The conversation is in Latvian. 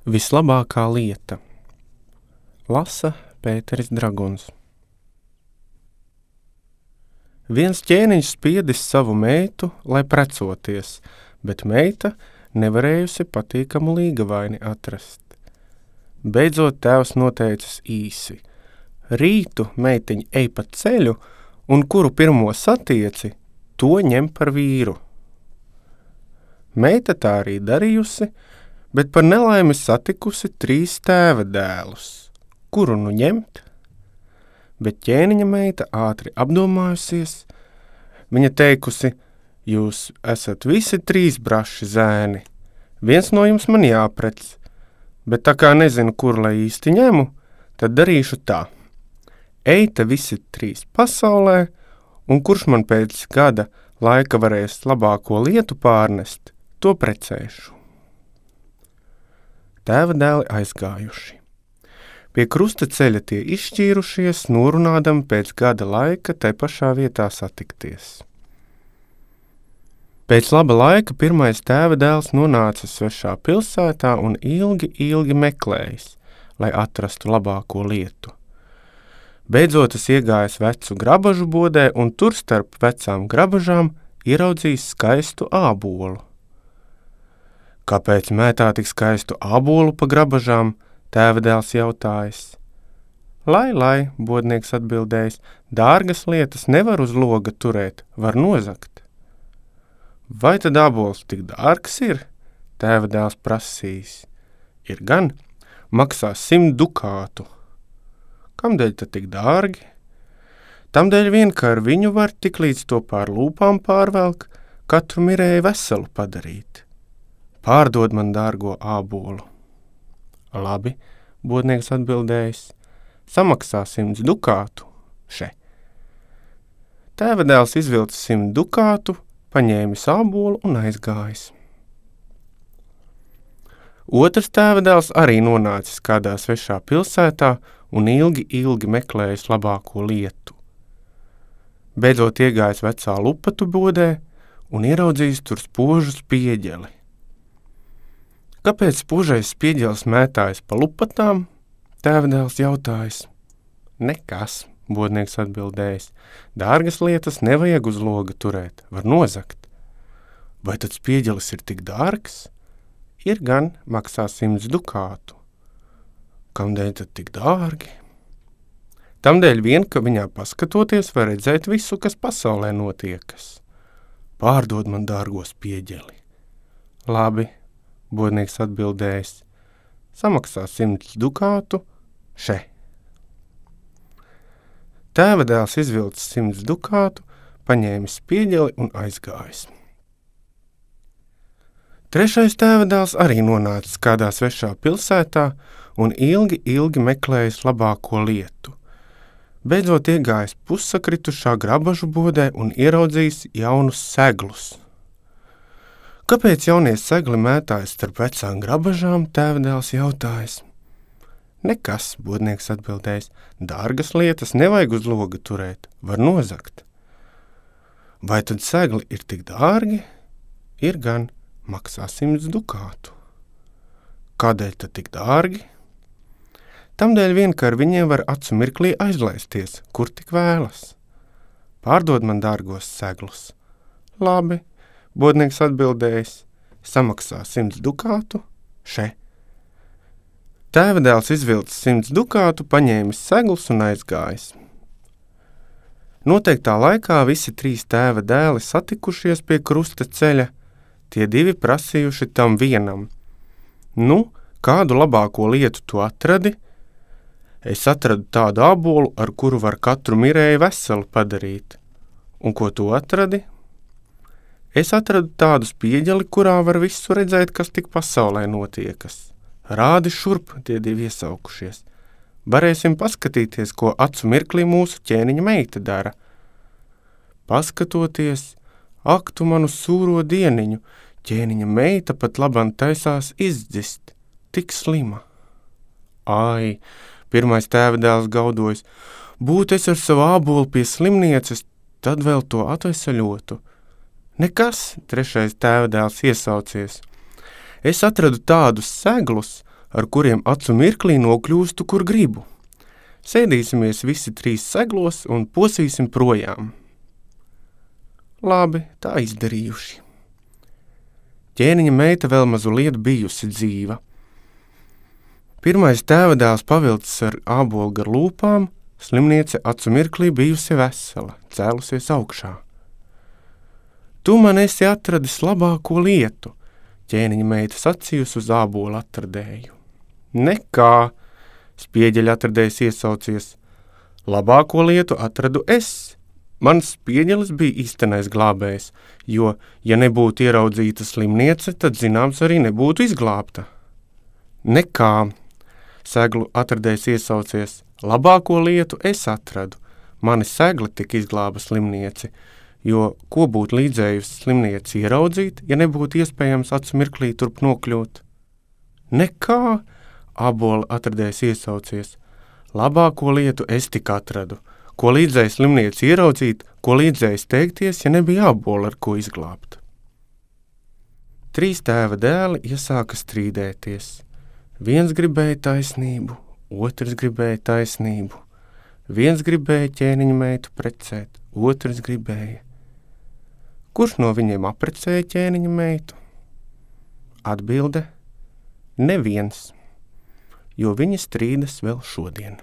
Vislabākā lieta. Lasa Pēteris Draguns. Viens ķēniņš spiedis savu meitu, lai precoties, bet meita nevarējusi patīkamu līgavaini atrast. Beidzot tēvs noteicis īsi. Rītu meitiņa ej pa ceļu, un kuru pirmo satieci, to ņem par vīru. Meita tā arī darījusi, bet par nelaimi satikusi 3 tēva dēlus. Kuru nu ņemt? Bet ķēniņa meita ātri apdomājusies. Viņa teikusi, jūs esat visi 3 braši zēni. Viens no jums man jāprec, bet tā kā nezinu, kur lai īsti ņemu, tad darīšu tā. Eite visi 3 pasaulē, un kurš man pēc gada laika varēs labāko lietu pārnest, to precēšu. Tēva dēli aizgājuši. Pie krusta ceļa tie izšķīrušies, norunādami pēc gada laika tai pašā vietā satikties. Pēc laba laika pirmais tēva dēls nonāca svešā pilsētā un ilgi meklējis, lai atrastu labāko lietu. Beidzot es iegājis vecu grabažu bodē un tur starp vecām grabažām ieraudzījis skaistu ābolu. Kāpēc mētā tik skaistu ābolu pa grabažām, tēva dēls jautājis. Lai, bodnieks atbildējis, dārgas lietas nevar uz loga turēt, var nozagt. Vai tad ābols tik dārgs ir? Tēva dēls prasījis. Ir gan, maksās 100 dukātu. Kamdēļ tad tik dārgi? Tamdēļ vien, ka ar viņu var tik līdz to pār lūpām pārvelk, katru mirēju veselu padarīt. Pārdod man dārgo ābolu. Labi, bodnieks atbildējis, samaksā 100 dukātu, še. Tēva dēls izvilcis 100 dukātu, paņēmis ābolu un aizgājis. Otrs tēva dēls arī nonācis kādā svešā pilsētā un ilgi meklējis labāko lietu. Beidzot iegājis vecā lupatu bodē un ieraudzījis tur spožu spieģeli. Kāpēc spožais spieģelis mētājas pa lupatām? Tēva dēls jautājis. Nekas, bodnieks atbildējis. Dārgas lietas nevajag uz loga turēt, var nozagt. Vai tad spieģelis ir tik dārgs? Ir gan, maksā 100 dukātu. Kamdēļ tad tik dārgi? Tamdēļ vien, ka viņā paskatoties var redzēt visu, kas pasaulē notiekas. Pārdod man dārgo spieģeli. Labi, bodnieks atbildējis, samaksā 100 dukātu, še. Tēva dēls izvilcis 100 dukātu, paņēmis spieģeli un aizgājis. Trešais tēva dēls arī nonācis kādā svešā pilsētā un ilgi meklējis labāko lietu. Beidzot iegājis pussakritušā grabažu bodē un ieraudzījis jaunus seglus. Kāpēc jaunie segli mētājas starp vecām grabažām, tēva dēls jautājis. Nekas, bodnieks atbildējis, dārgas lietas nevajag uz loga turēt, var nozagt. Vai tad segli ir tik dārgi? Ir gan, maksā 100 dukātu. Kādēļ tad tik dārgi? Tamdēļ vien, ka ar viņiem var acu mirklī aizlaisties, kur tik vēlas. Pārdod man dārgos seglus. Labi, bodnieks atbildējis, samaksā 100 dukātu, še. Tēva dēls izvilcis 100 dukātu, paņēmis seglus un aizgājis. Noteiktā laikā visi 3 tēva dēli satikušies pie krusta ceļa, tie 2 prasījuši tam vienam. Nu, kādu labāko lietu tu atradi? Es atradu tādu ābolu, ar kuru var katru mirēju veselu padarīt. Un ko tu atradi? Es atradu tādu spieģeli, kurā var visu redzēt, kas tik pasaulē notiekas. Rādi šurp, tie 2 iesaukušies. Varēsim paskatīties, ko acu mirklī mūsu ķēniņa meita dara. Paskatoties, ak tu manu sūro dieniņu, ķēniņa meita pat labam taisās izdzist, tik slima. Ai, pirmais tēva dēls gaudojas, būt es ar savu ābolu pie slimnieces, tad vēl to atveseļotu. Nekas, trešais tēva dēls iesaucies. Es atradu tādus seglus, ar kuriem acu mirklī nokļūstu, kur gribu. Sēdīsimies visi 3 seglos un posīsim projām. Labi, tā izdarījuši. Ķēniņa meita vēl mazu lietu bijusi dzīva. Pirmais tēvadēls pavilcis ar ābolu gar lūpām, slimniece acu mirklī bijusi vesela, cēlusies augšā. Tu man esi atradis labāko lietu, ķēniņa meita sacījusi uz ābolu atradēju. Nekā, spieģeļa atradējs iesaucies, labāko lietu atradu es. Mans spieģelis bija īstenais glābējs, jo, ja nebūtu ieraudzīta slimniece, tad zināms arī nebūtu izglābta. Nekā, seglu atradējs iesaucies, labāko lietu es atradu. Mani segli tik izglāba slimnieci, jo ko būtu līdzējusi slimnieci ieraudzīt, ja nebūtu iespējams acu mirklī turp nokļūt? Nekā, ābola atradējs iesaucies, labāko lietu es tik atradu. Ko līdzēja slimnieci ieraudzīt, ko līdzēja steigties, ja nebija ābola, ar ko izglābt. 3 tēva dēli iesāka strīdēties. Viens gribēja taisnību, otrs gribēja taisnību. Viens gribēja ķēniņa meitu precēt, otrs gribēja. Kurš no viņiem apprecēja ķēniņa meitu? Atbilde – neviens, jo viņi strīdas vēl šodien.